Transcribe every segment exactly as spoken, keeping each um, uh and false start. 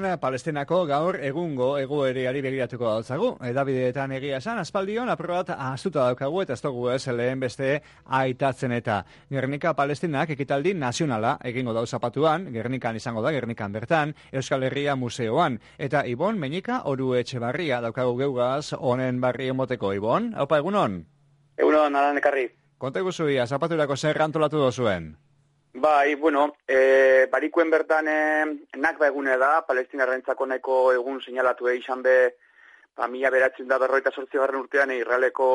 gaurkoan Palestinako gaur egungo egoerari begiratuko dautzagu. Edabideetan egia esan, aspaldion aprobat astuta daukagu eta ez dugu ez lehen beste aitatzen eta Gernika Palestinak ekitaldi nazionala egingo dau zapatuan, Gernikan izango da, Gernikan bertan, Euskal Herria Museoan. Eta Ibon Meñika Oru Etxebarria daukagu geugaz honen barri emoteko. Ibon, haupa egunon? Egunon, alan ekarri. Konta guzuia, zapaturako zer antolatu dozuen? Bai, bueno, e, barikuen bertan e, nakba egune da, Palestinarrentzako nahiko egun seinalatu izan be, ba, mila beratzen da berroita sortzi garren urtean, Israeleko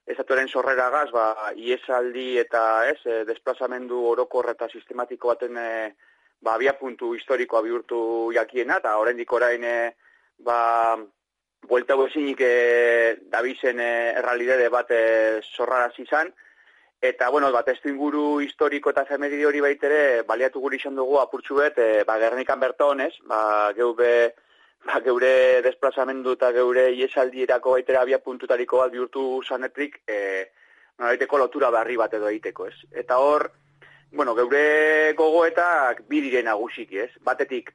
estatuaren sorreragaz, ba, iesaldi eta ez, e, desplazamendu orokor eta sistematiko baten e, ba, abia puntu historikoa bihurtu jakiena, eta oraindik orain e, ba, buelta ezinik e, dabizen e, errealidade bat e, sorraraz izan. Eta, bueno, bat testu inguru historiko eta efemeride hori baitere, baliatu guri izan dugu apurtxu bet, e, ba, Gernikan bertonez, ba, geube, ba, geure desplazamendu eta geure iesaldirako baitere abia puntutariko bat bihurtu zanetrik, e, noraiteko lotura barri bat edo egiteko, ez? Eta hor, bueno, geure gogoetak bi dire nagusiki, ez? Batetik,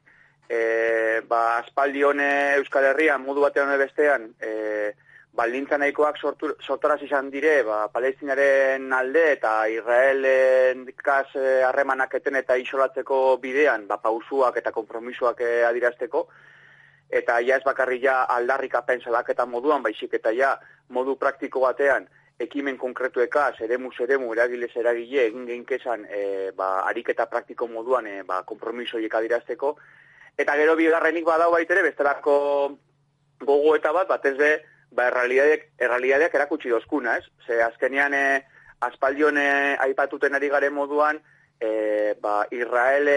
e, ba, aspaldi hone Euskal Herrian, modu batean hone bestean, e, baldintza nahikoak sortoraz izan dire, ba, Palestinaren alde eta Israelen kas harremanak eten eta isolatzeko bidean, ba, pausuak eta konpromisoak adirazteko, eta ja ez bakarri ja aldarrikapen salaketa moduan, baizik eta ja modu praktiko batean, ekimen konkretuekaz, eremuz eremu, eragilez eragile, egin geinkezan, e, ba, ariketa praktiko moduan, e, ba, konpromisoiek adirazteko, eta gero bigarrenik badau baitere, bestelako gogoeta bat, batez be, ba, errealidadeak, errealidadeak erakutsi dozkuna, ez? Ze azkenean e, aspaldion e, aipatuten ari garen moduan, e, ba, Israele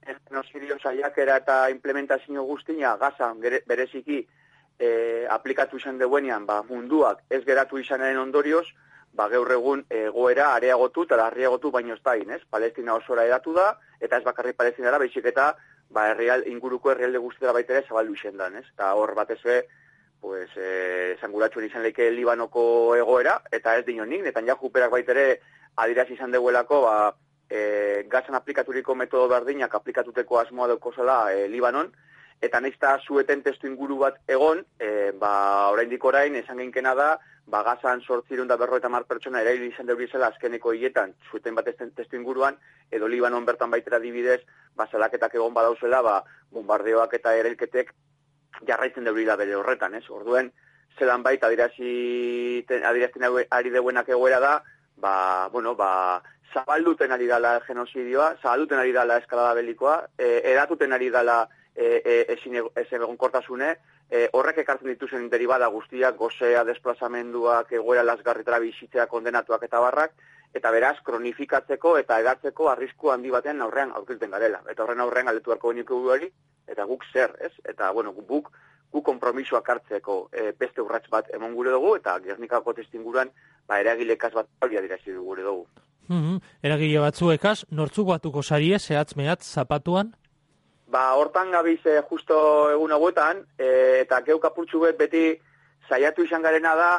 genozidio saiakera eta implementazio guztia Gazan bereziki e, aplikatu izan duenean, ba, munduak ez geratu izanaren ondorioz, ba, gaur egun egoera areagotu eta larriagotu baino ez dain, ez? Palestina osora edatu da, eta ez bakarri Palestinara, baizik eta ba, herrial, inguruko herrialde guztiara baitere zabaldu izan dan, ez? Eta hor batez be, pues, eh, zanguratxuen izan leike Libanoko egoera, eta ez dinonik, Netanyahu berak baitere adiraz izan deguelako, ba, e, Gazan aplikaturiko metodo berdinak aplikatuteko asmoa daukozela e, Libanon, eta naizta zueten testu inguru bat egon, e, ba, oraindik orain, esan geinkena da, ba, Gazan sortzirun da berro eta mar pertsona erail izan deurizela azkeneko hietan, zueten bat testu inguruan, edo Libanon bertan baitera dibidez, ba, zelaketak egon badauzela, ba, bombardeoak eta erailketek jarraitzen deurila bere horretan, ez? Orduen, zelan baita adirazten ari deuenak egoera da, ba, bueno, ba, zabalduten ari dala genozidioa, zabalduten ari dala eskalada belikoa, e, edatuten ari dala e, e, ezin egon kortasune, e, horrek ekartzen dituzen deribada guztiak, gozea, desplazamenduak, egoera lasgarritara bizitzea kondenatuak eta barrak, eta beraz, kronifikatzeko eta edatzeko arrisku handi batean aurrean aurkilten garela. Eta horren aurrean galdetu beharko geniko hori, eta guk zer, ez? Eta, bueno, guk, guk konpromisoak hartzeko e, beste urrats bat emon gure dugu, eta Gernikako testinguruan, ba, eragilekaz bat hori adirazi gure dugu. Mm-hmm. Eragile batzuekaz, nortzuk batuko sarie, zehatz mehatz, zapatuan? Ba, hortan gabiz e, justo egun hauetan, e, eta geuk apurtxu bet beti saiatu izan garena da,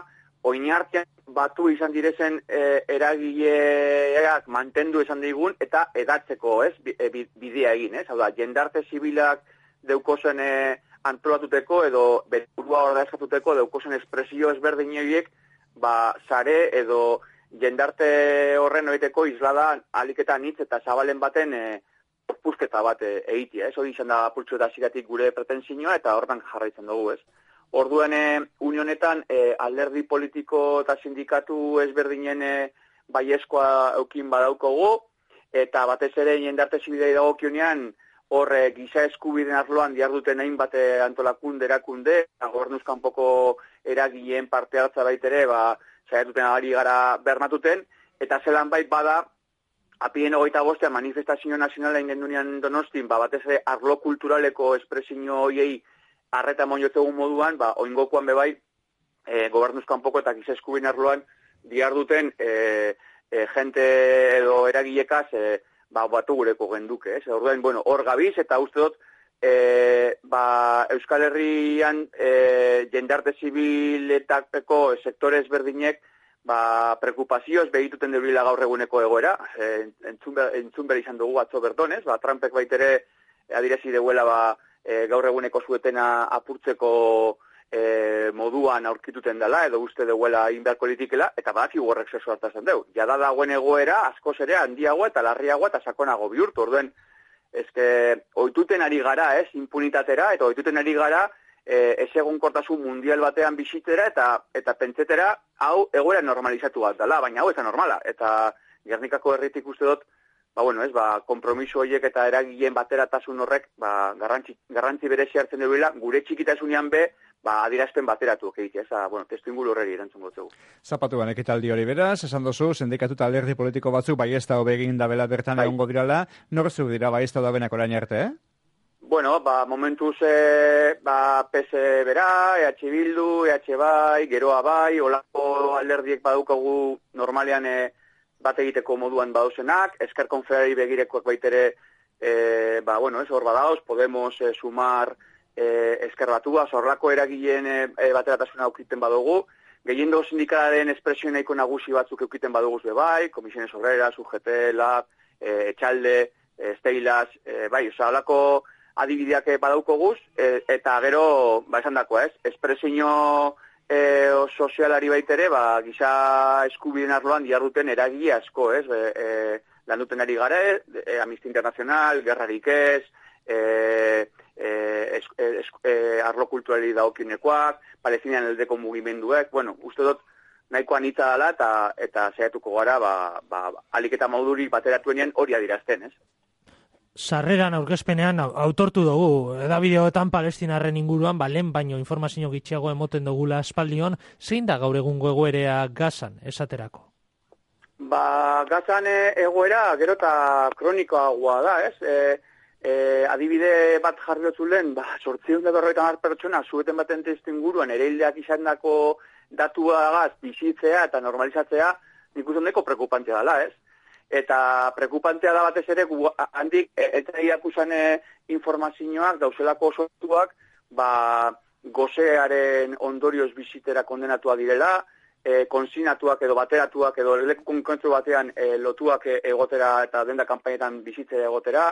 oinartean batu izan direzen e, eragileak mantendu esan digun, eta edatzeko, ez, bidea egin, ez? Hau da, jendarte zibilak deukozen e, antolatuteko, edo berurua hor da eskatuteko, deukozen espresio ezberdin horiek, ba, sare edo jendarte horren oiteko izlada aliketan hitz eta zabalen baten e, opuzketa bat e, egitea, ez? Hori izan da pultsu eta ziratik gure pretensioa, eta hortan jarraitzen dugu, ez? Orduen e, unionetan e, alderdi politiko eta sindikatu ezberdinen e, baiezkoa eukin badaukogu, eta batez ere jendarte zibidei dagokionean hor e, giza eskubideen arloan diarduten hainbat e, antolakunde erakunde, gobernuzkanpoko eragileen parte hartza baitere, ba, saiatuten ari gara bermatuten, eta zelan bait bada, apien hogeita bostean manifestazio nazionala ingendunean Donostin, ba, batez ere arlo kulturaleko espresio hoiei arreta moniotegun moduan, ba, oingokoan bebai, e, gobernuzkanpoko eta giza eskubideen arloan diarduten e, e, jente edo eragilekaz e, ba, batu gureko genduke, ez? Orduan, bueno, hor gabiz, eta uste dut, e, ba, Euskal Herrian e, jendarte zibiletako sektore ezberdinek, ba, preokupazioz behituten deurila gaur eguneko egoera, e, entzun behar izan dugu atzo bertonez, ba, Trumpek baitere adirazi deuela, ba, e, gaur eguneko zuetena apurtzeko e, moduan aurkituten dela, edo uste deuela inbeharko litikela, eta badaki horrek zeso hartazen deu. Jada dagoen egoera, askoz ere handiago eta larriago eta sakonago bihurtu, orduen, ezke, oituten ari gara, ez, impunitatera, eta oituten ari gara, E, ez egonkortasun mundial batean bizitzera eta eta pentsetera hau egoera normalizatu bat dela, baina hau ez da normala. Eta Gernikako herritik uste dut, ba, bueno, ez, ba, kompromiso horiek eta eragileen bateratasun horrek ba, garrantzi, garrantzi berezi hartzen duela, gure txikitasunean be, ba, adierazpen bateratu egitea, ez da, bueno, testu inguru horreri erantzun gotzegu. Zapatuan ekitaldi hori beraz, esan dozu, sindikatu eta alderdi politiko batzuk bai ez da hobegin dabela bertan bai. Egongo dirala, norzu dira bai ez da dabenak orain arte, eh? Bueno, ba, momentuz e, ba, P S bera, E H Bildu, E H bai, Geroa bai, olako alderdiek badaukagu normalean e, bat egiteko moduan badauzenak, Ezker Konfederari begirekoak baitere, e, ba, bueno, ez hor badauz, Podemos, e, Sumar, e, Ezker Batua, zorlako eragileen e, bateratasuna aukiten badugu, gehiendo sindikalaren espresio nahiko nagusi batzuk aukiten badugu be bai, Komisiones Obreras, U G T, Lab, e, Etxalde, e, Steilas, e, bai, oza, olako adibideak badaukoguz, e, eta gero, ba, esan dakoa, ez, espresio e, sozialari baitere, ba, giza eskubideen arloan diarduten eragile asko, ez, e, e, lan duten ari gara, e, Amnistia Internacional, Gerrarik ez, e, e, es, es, e, arlo kulturali daokinekoak, Palestinian eldeko mugimenduek, bueno, uste dut, nahiko anitza dela, eta, eta zehatuko gara, ba, ba, alik eta mauduri bateratuenean hori adirazten, ez. Sarreran aurkezpenean autortu dugu, edabideoetan Palestinarren inguruan, ba, lehen baino informazio gitxiago emoten dugula aspaldion, zein da gaur egungo egoerea Gazan, esaterako? Ba, Gazan egoera gero eta kronikoagoa da, ez? E, e, adibide bat jarri dutzu lehen, ba, sortziehun eta berrogeita hamar pertsona, zueten baten testu inguruan, ere hildeak izandako datuagaz bizitzea eta normalizatzea, nik uste ondeko prekupantea dela, ez? Eta prekupantea da batez ere, handik, eta iakusan informazioak, dauzelako osotuak, ba, gozearen ondorioz bizitera kondenatua direla, e, konsinatuak edo bateratuak edo leku konkretu batean e, lotuak egotera eta denda kanpainetan bizitzera egotera,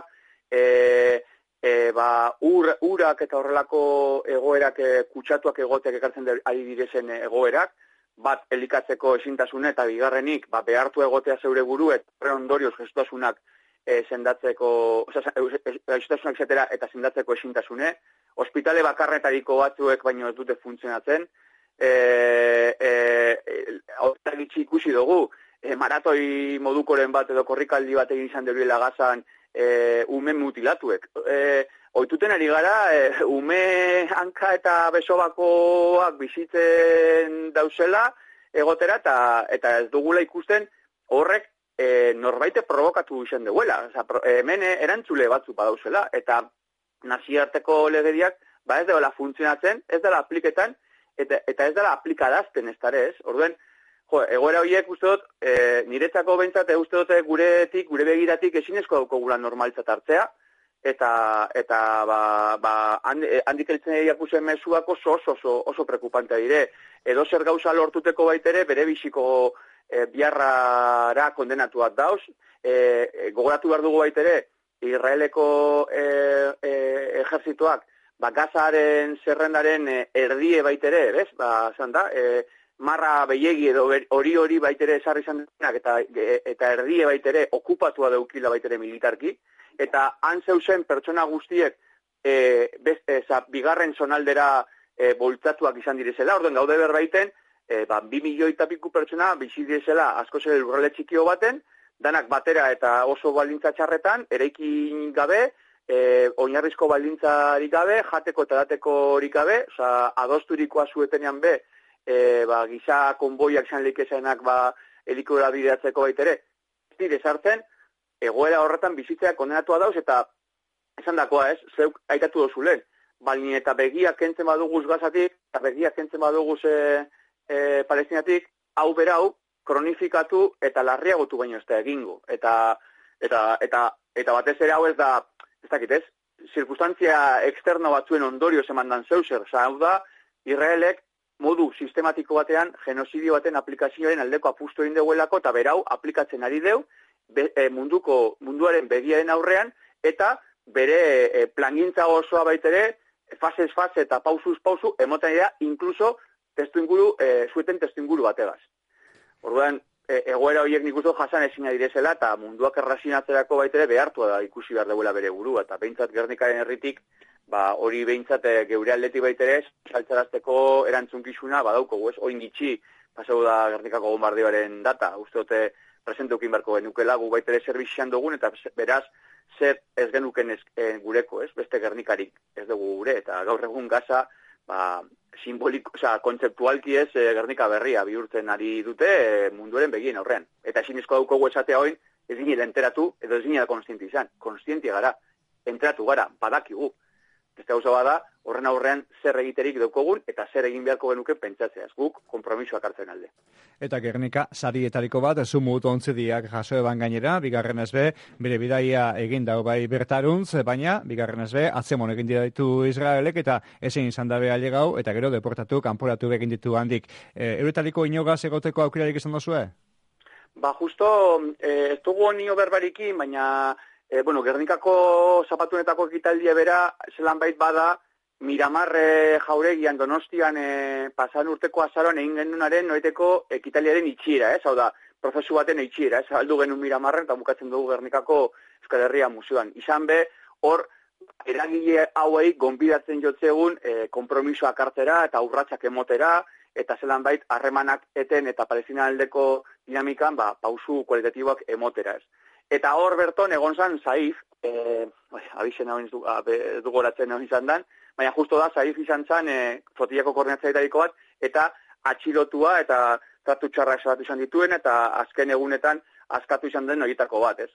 e, e, ba, ur, urak eta horrelako egoerak e, kutsatuak egoteak ekartzen ari direzen egoerak, bat elikatzeko ezintasune eta bigarrenik ba, behartu egotea zeure buru eta horren ondorioz gestasunak e, sendatzeko, oza, gestasunak zetera eta sendatzeko ezintasune, ospitale bakarretariko batzuek baino ez dute funtzionatzen, e, e, e, gitxi ikusi dugu, e, maratoi modukoren bat edo korrikaldi bat egin izan deruela Gazan e, ume mutilatuek. E, Oituten ari gara, e, ume hanka eta besobakoak bizitzen dauzela egotera eta, eta ez dugula ikusten horrek e, norbaite provokatu izan duela. Oza, pro, e, hemen erantzule batzuk badauzela eta nazioarteko legediak ba ez dela funtzionatzen, ez dela apliketan eta, eta ez dela aplikadazten ez dara ez. Orduen, jo, egoera horiek uste dut, e, niretzako behintzat, uste dut guretik, gure begiratik ezinezko daukagula normalitzat hartzea, eta eta ba ba handik heltzen jakusen mezuak oso oso oso, oso preocupantea dire. Edo zer gauza lortuteko baitere bere biziko e, biharrara kondenatuak dauz. E, gogoratu behar dugu baitere Israeleko e, e, ejerzituak ba Gazaren zerrendaren e, erdie baitere, bez? Ba, esan da, e, marra behiegi edo hori hori baitere esarri izan denak eta e, eta erdie baitere okupatua daukila baitere militarki. Eta han zeuzen pertsona guztiek e, best, e, za, bigarren zonaldera e, boltzatuak izan direzela, orduen gaude berbaiten, e, ba, bi milioi eta piku pertsona bizi direzela asko zer lurrale txikio baten, danak batera eta oso baldintza txarretan, eraikin gabe, e, oinarrizko baldintzarik gabe, jateko eta dateko horik gabe, oza, adosturikoa zuetenean be, e, ba, giza konboiak zan likesenak ba, helikora bideatzeko baitere, ez dire sartzen, egoera horretan bizitzea kondenatua dauz eta esan dakoa ez, zeuk aitatu dozu lehen, baina eta begiak kentzen baduguz Gazatik, eta begiak kentzen baduguz e, e, Palestinatik, hau berau, kronifikatu eta larriagotu baino ez da egingo. Eta, eta, eta, eta batez ere hau ez da, ez dakit ez, zirkustantzia externo batzuen ondorio emandan zeuser, oza, hau da, Israelek modu sistematiko batean, genozidio baten aplikazioaren aldeko apustu egin deuelako, eta berau aplikatzen ari deu, Be, e, munduko munduaren begiaren aurrean eta bere e, plangintza osoa baitere, fasez fase eta pausuz pausu, emoten dira, inkluso testu inguru, e, zueten testu inguru bategaz. Orduan, e, egoera horiek nik uste jasan ezina direzela, eta munduak errazinatzerako baitere behartua da ikusi behar duela bere burua, eta behintzat Gernikaren herritik, ba, hori behintzat e, geure aldetik baitere, saltzarazteko erantzunkizuna, badauko, ez, oin gitxi, pasau da Gernikako bombardioaren data, uste dute presenteukin beharko genukela, gu baitere zerbizian dugun, eta beraz, zer ez genuken ez, e, gureko, ez, beste Gernikarik ez dugu gure, eta gaur egun gaza, ba, simboliko, oza, kontzeptualki ez, e, Gernika berria bihurtzen ari dute e, munduaren begien aurrean. Eta ezinezko daukogu esatea hoin, ez ginela enteratu, edo ez ginela konstienti izan. Konstienti gara, enteratu gara, badakigu. Beste gauza bada, horren aurrean zer egiterik daukogun, eta zer egin beharko genuke pentsatzeaz, guk konpromisoak hartzen alde. Eta Gernika sarietariko bat, zumut ontzediak jaso eban gainera, bigarren ez be, bere bidaia egin dau bai bertaruntz, baina, bigarren ez be, atzemon egin ditu Israelek, eta ezin izan dabe alegau, eta gero deportatu, kanporatu egin ditu handik. E, Euretariko inogaz egoteko aukerarik izan dozue? Ba, justo, e, ez dugu nio berbarikin, baina, e, bueno, Gernikako zapatunetako ekitaldia bera, zelan bait bada, Miramarre jauregian Donostian e, pasan urteko azaroan egin genunaren noiteko ekitaliaren itxiera, ez? Hau da, prozesu baten itxiera, ez? Aldu genuen Miramarren eta bukatzen dugu Gernikako Euskal Herria Museoan. Izan be, hor, eragile hauei gonbidatzen jotzegun e, kompromisoak hartzera eta urratsak emotera, eta zelan bait harremanak eten eta Palestina aldeko dinamikan, ba, pausu kualitatiboak emotera, ez? Eta hor berton egon zan Saif, e, abixen hau dugoratzen hau izan dan, baina justo da, Saif izan zen e, flotillako koordinatzailetariko bat, eta atxilotua eta tratu txarrak salatu izan dituen, eta azken egunetan askatu izan den horietako bat, ez?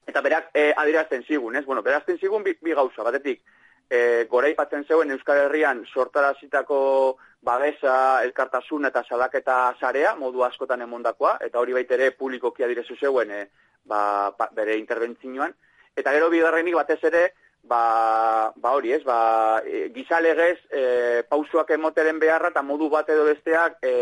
Eta berak e, adierazten zigun, ez? Bueno, berazten zigun bi, bi gauza, batetik, e, gora ipatzen zeuen Euskal Herrian sortarazitako babesa, elkartasun eta salaketa sarea, modu askotan emondakoa, eta hori baitere publikoki adirezu zeuen e, ba, ba, bere interbentzioan, eta gero bigarrenik batez ere, ba, ba hori ez, ba, e, gizalegez e, pausoak emoteren beharra eta modu bat edo besteak e,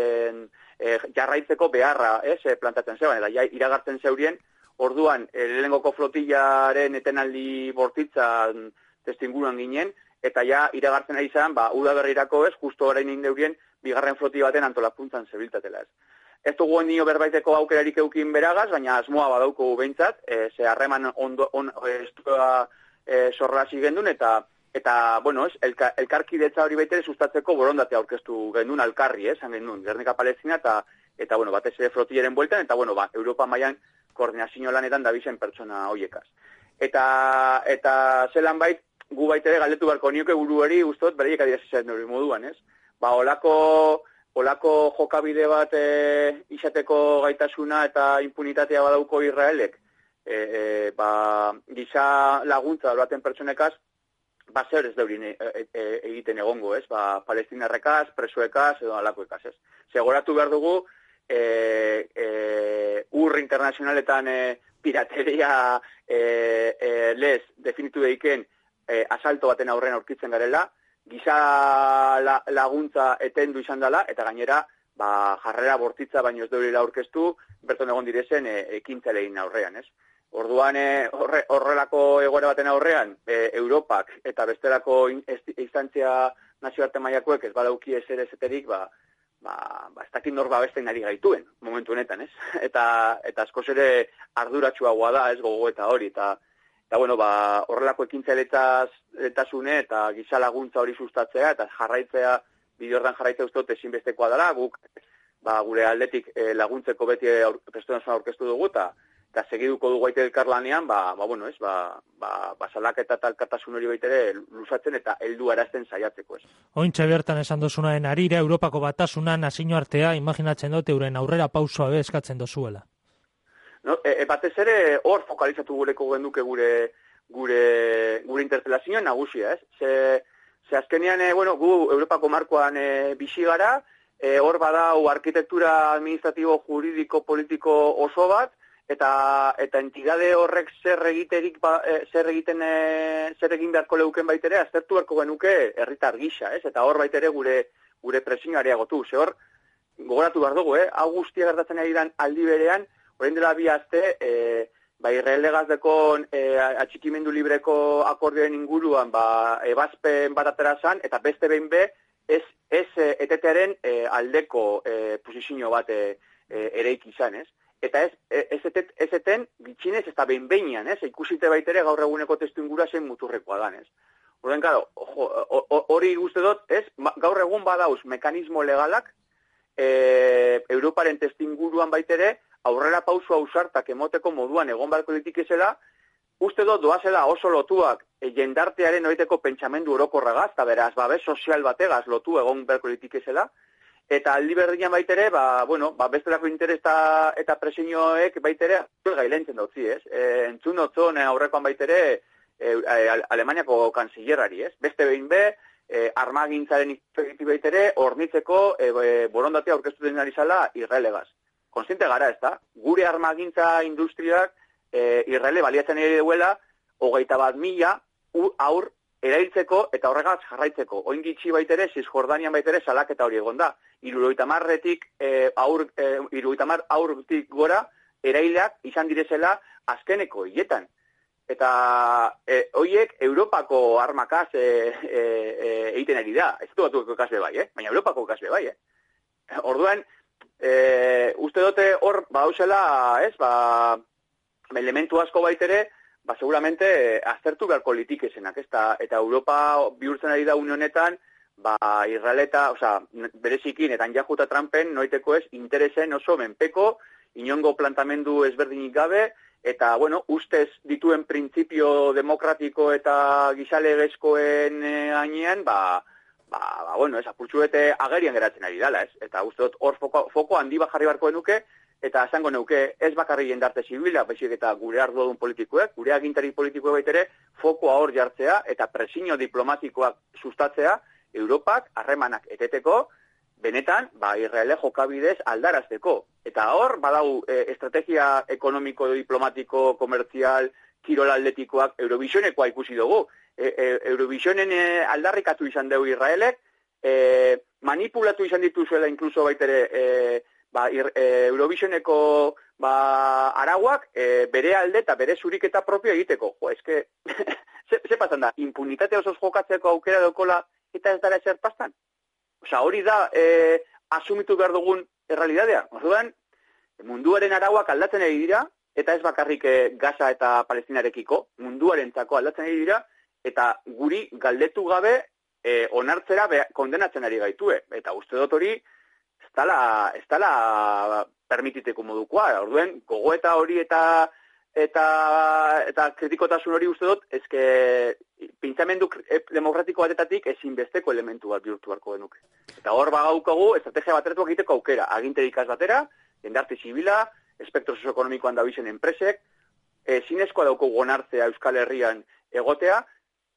e, jarraitzeko beharra, ez, e, plantatzen zeban, eta ja, iragartzen zeurien, orduan, e, lehengoko flotillaren etenaldi bortitzan testinguruan ginen, eta ja iragartzen ari izan, ba, udaberrirako ez, justo orain indeurien, bigarren floti baten antolapuntzan zebiltatela ez. Ez dugu nio berbaiteko aukerarik eukin beragaz, baina asmoa badauko behintzat, e, ze harreman ondo, on, estua e, sorrasi gendun, eta, eta bueno, ez, elka, elkarkidetza hori baitere sustatzeko borondatea aurkeztu gendun alkarri, ez, gendun, Gernika Palestina, eta, eta bueno, batez ere flotilleren bueltan, eta bueno, ba, Europa mailan koordinazio lanetan dabizen pertsona hoiekaz. Eta, eta zelan bait, gu baitere galdetu beharko nioke buruari, ustot, bereiek adierazizaren hori moduan, ez? Ba, olako... Olako jokabide bat e, izateko gaitasuna eta impunitatea badauko Israelek, e, e, ba, giza laguntza baten pertsonekaz, ba, zer ez daurin e, e, egiten egongo, ez? Ba, palestinarrekaz, presoekaz, edo alakoekaz, ez? Segoratu behar dugu, e, e, ur internazionaletan e, pirateria e, e, lez definitu deiken e, asalto baten aurrean aurkitzen garela, giza la, laguntza etendu izan dela, eta gainera, ba, jarrera bortitza baino ez deurila aurkeztu, berton egon direzen e, ekintzelein aurrean, ez? Orduan, e, horre, horrelako egoera baten aurrean, e, Europak eta bestelako instantzia nazioarte mailakoek ez badauki ezer ezeterik, ba, ba, ba, ez dakit nor babesten ari gaituen, momentu honetan, ez? Eta, eta askoz ere arduratsuagoa da, ez gogo eta hori, eta Eta, bueno, ba, horrelako ekintzailetasune eta giza laguntza hori sustatzea eta jarraitzea, bidordan jarraitzea uste ezinbestekoa dela, guk ba, gure aldetik e, laguntzeko beti prestuen aurkeztu dugu, eta, eta segiduko dugu aite elkarlanean, ba, ba, bueno, ez, ba, ba, ba salak eta talkatasun hori baitere lusatzen eta heldu arazten saiatzeko, ez. Ointxe bertan esan dozunaren arira, Europako batasuna nazio artea, imaginatzen dute euren aurrera pausoa be eskatzen dozuela. No, e, e, batez ere hor fokalizatu gureko genduke gure gure gure interpelazioa nagusia, ez? Ze, ze azkenean, e, bueno, gu Europako markoan e, bizi gara, e, hor badau arkitektura administratibo, juridiko, politiko oso bat, eta eta entidade horrek zer egiterik ba, e, zer egiten e, zer egin beharko leuken baitere aztertu beharko genuke herritar gisa, ez? Eta hor baitere gure gure presioa areagotu. Ze hor gogoratu behar dugu, eh? Hau guztia gertatzen ari dan aldi berean, orain dela bi aste, e, ba, Israelegaz dekon e, atxikimendu libreko akordioen inguruan, ba, ebazpen bat atera zan, eta beste behin be, ez, ez e, etetearen e, aldeko e, posizio bat e, e, ereik izan, ez? Eta ez, ez, etet, ez eten gitxinez ez da behin behinean, ez? Ikusite baitere gaur eguneko testu ingura zen muturrekoa dan, ez? Horren, karo, hori guzti dut, ez? Gaur egun badauz mekanismo legalak, e, Europaren testu inguruan baitere, aurrera pausu ausartak emoteko moduan egon barko ditikizela, uste dut doazela oso lotuak e, jendartearen oiteko pentsamendu orokorragaz, eta beraz, babes sozial bategaz lotu egon barko ditikizela, eta aldi berdian baitere, ba, bueno, ba, bestelako interes eta, eta presioek baitere gailentzen dautzi, ez? E, entzun otzon aurrekoan baitere e, Alemaniako kanzillerari, ez? Beste behin be, e, armagintzaren ikuspegi baitere, hornitzeko e, e, borondatea aurkeztu den ari zala Israelegaz. Konstiente gara, ez da? Gure armagintza industriak e, Israele baliatzen ere duela, hogeita bat mila aur erailtzeko eta horregaz jarraitzeko. Oin gitxi baitere, Cisjordanian baitere salaketa hori egon da. Irurogeita marretik e, aur, e, irurogeita mar aurtik gora eraileak izan direzela azkeneko hietan. Eta e, hoiek Europako armakaz e, e, e, egiten ari da. Ez du batuko kasbe bai, eh? Baina Europako kasbe bai, eh? Orduan, E, uste dute hor, ba, hausela, ez, ba, elementu asko baitere, ba, seguramente, aztertu beharko litikesenak, ez, eta, eta Europa bihurtzen ari da unionetan, ba, Israeleta, oza, berezikin, eta Anjajuta Trumpen, noiteko ez, interesen oso menpeko, inongo plantamendu ezberdinik gabe, eta, bueno, ustez dituen printzipio demokratiko eta gizalegezkoen gainean, ba, Ba, ba, bueno, ez, apurtxuete agerian geratzen ari dala, ez? Eta uste dut hor foko, foko handi bat jarri barko denuke, eta esango neuke ez bakarri jendarte zibila, baizik eta gure ardudun politikoek, gure agintari politikoek baitere, fokoa hor jartzea, eta presinio diplomatikoak sustatzea, Europak harremanak eteteko, benetan, ba, Israele jokabidez aldarazteko. Eta hor, badau, e, estrategia ekonomiko, diplomatiko, komertzial, kirol atletikoak, Eurovisionekoa ikusi dugu. E, e, Eurovisionen e, aldarrikatu izan dugu Israelek, e, manipulatu izan dituzuela inkluso baitere e, ba, ir, e, Eurovisioneko ba, arauak e, bere alde eta bere zuriketa propio egiteko. Jo, eske, ze, ze pasan da, impunitate osoz jokatzeko aukera dokola eta ez dara ezer pastan? Osa, hori da e, asumitu behar dugun errealidadea. Orduan, munduaren arauak aldatzen ari dira, eta ez bakarrik e, Gaza eta Palestinarekiko, munduaren zako aldatzen ari dira, eta guri galdetu gabe e, onartzera be, kondenatzen ari gaitue. Eta uste dut hori, ez dala, ez dala permititeko modukoa. Orduen, gogoeta hori eta eta eta kritikotasun hori uste dut, ezke pentsamendu demokratiko batetatik ezinbesteko elementu bat bihurtu beharko genuke. Eta hor bagaukagu, estrategia bateratuak egiteko aukera. Aginterikaz batera, jendarte zibila, espektro sozioekonomikoan dabizen enpresek, ezinezkoa daukagu onartzea Euskal Herrian egotea,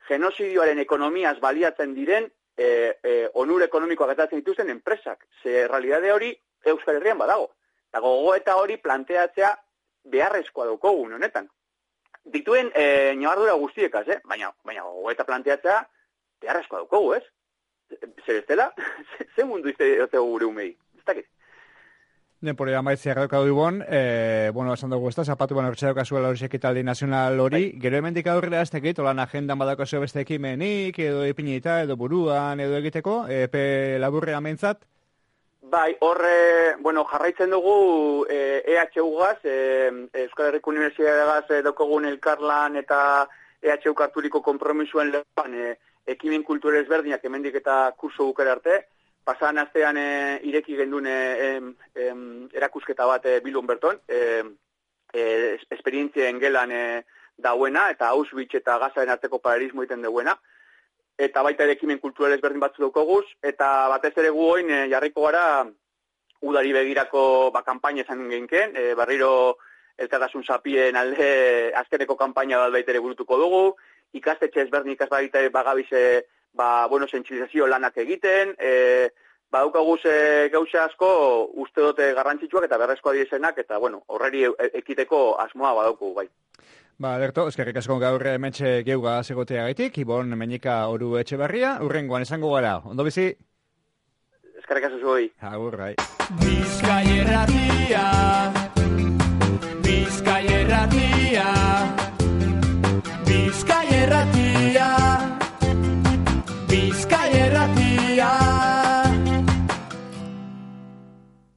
genozidioaren ekonomiaz baliatzen diren e, e, onur ekonomikoak gatatzen dituzten enpresak. Ze realidade hori Euskal Herrian badago. Eta gogoeta hori planteatzea beharrezkoa daukogun honetan. Dituen e, ñabardura guztiekaz, eh? baina, baina gogoeta planteatzea beharrezkoa daukogu, ez? Zer ez dela? Ze mundu izte gure umei? Ez dakit. Denporea amaitzea gaukadu ibon, e, bueno, esan dugu ez da, zapatu ban hortxe daukazuela hori ekitaldi nazional hori, bai. Gero hemendik aurrera ez tekit, olan agendan badakazio beste ekimenik, edo ipinita, edo buruan, edo egiteko, epe laburrean mentzat? Bai, horre, bueno, jarraitzen dugu e, E H U-gaz, e, Euskal Herriko Unibertsitateagaz e, daukagun elkarlan eta E H U karturiko konpromisuen lehan e, ekimen kultura ezberdinak hemendik eta kurso bukera arte, pasan astean e, ireki gendun e, e, erakusketa bat e, Bilbon berton, e, e, esperientzien gelan e, dauena, eta Auschwitz eta Gazaren arteko paralelismo egiten duena, eta baita ere ekimen kultural ezberdin batzu daukaguz, eta batez ere gu oin e, jarriko gara udari begirako ba, kampaina esan genken, e, barriro elkartasun zapien alde azkeneko kampaina bat baita ere burutuko dugu, ikastetxe ezberdin ikasbaita bagabize ba, bueno, sentsibilizazio lanak egiten, e, baukaguz e, gauza asko uste dute garrantzitsuak eta berrezkoa diesenak, eta, bueno, horreri e, ekiteko asmoa badauku, bai. Ba, Lerto, eskerrik asko gaur hementxe geuga segotea gaitik, Ibon Meñika Oru Etxeberria, urrengoan esango gara, ondo bizi? Eskerrik asko zuhoi. Agur, bai.